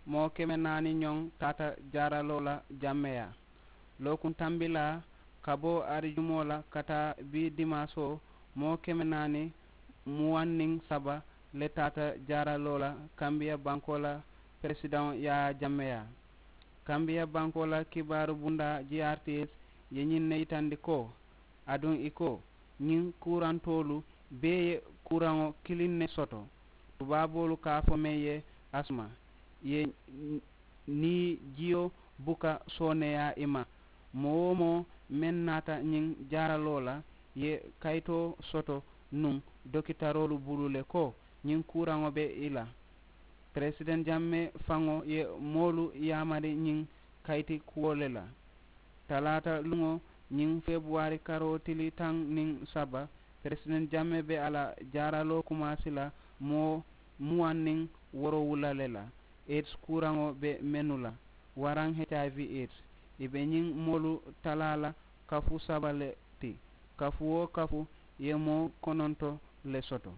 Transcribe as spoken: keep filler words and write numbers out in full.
Moo keme naani ñoŋ taata jaaraloo la jammeyaa. Lookuntambilaa ka bo arijumoo la ka taa bii dimaasoo, moo keme naani muwaŋ niŋ saba le taata jaaraloo la kambiya bankoo la peresidaŋo yaayaa jammeyaa. Kambiya bankoo la kibaaru bundaa g r t s ye ñiŋ ne yitandi ko, aduŋ i ko, ñiŋ kuurantoolu bee ye kuuraŋo kiliŋ ne soto. Tubaaboolu ka a fo meŋ ye asma ye, niŋ jiyo buka sooneeyaa i ma. Moo-wo-moo meŋ naata ñiŋ jaaraloo la ye kayitoo soto nuŋ, dokitaroolu bulu le ko ñiŋ kuuraŋo be i la. Peresideŋ jamme faŋo ye moolu yaamari ñiŋ kayiti kuwo le la. Talaata luŋo ñiŋ febuwaari karoo tili taŋ niŋ saba, peresideŋ jamme be a la jaaraloo kumaasi la moo muwaŋ niŋ woorowula le la. Aids kuuraŋo be mennu la waraŋ hiv aids, i be ñiŋ moolu talaa la kafu saba le ti. Kafu-wo-kafu ye moo kononto le soto.